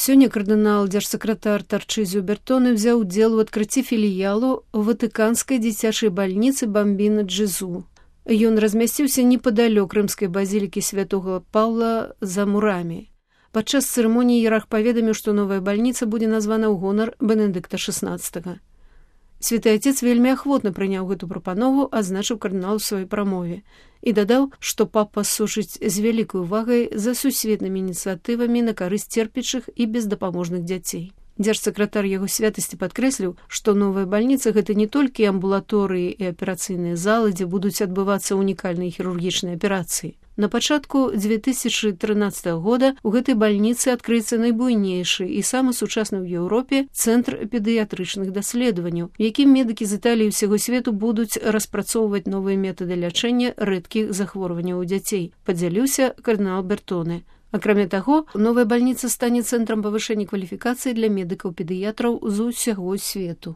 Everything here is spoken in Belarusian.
Сёння кардынал дзяржсакратар Тарчызіо Бертоне взяў удзел у адкрыцці філіялу ватыканскай дзіцячай бальніцы Бамбіна Джезу. Ён размясціўся непадалёк рымскай базілікі святога Паўла за мурамі. Падчас цырымоніі іерарх паведаміў, што новая бальніца будзе названа ў гонар Бенедыкта XVI. Святы Отец вельмі ахвотна прыняў гэту прапанову, азначыў кардынал у сваёй прамове, і дадаў, што папа сушыць з вялікай увагай за сусветнымі ініцыятывамі на карысць церпячых і бездапаможных дзяцей. Дзяржсакратар яго святасці падкрэсліў, што новая бальніца – гэта не толькі амбулаторыі і аперацыйныя залы, дзе будуць адбывацца унікальныя хірургічныя аперацыі. На пачатку 2013 года у гэтай бальніцы адкрыецца найбуйнейшы і самы сучасны ў Еўропе цэнтр педыятрычных даследаванняў, якім медыкі з Італіі ўсяго свету будуць распрацоўваць новыя метады лячэння рэдкіх захворванняў у дзяцей, падзяліўся кардынал Бертоне. Акрамя таго, новая бальніца стане цэнтрам павышэння кваліфікацыі для медыкаў-педыятраў з усяго свету.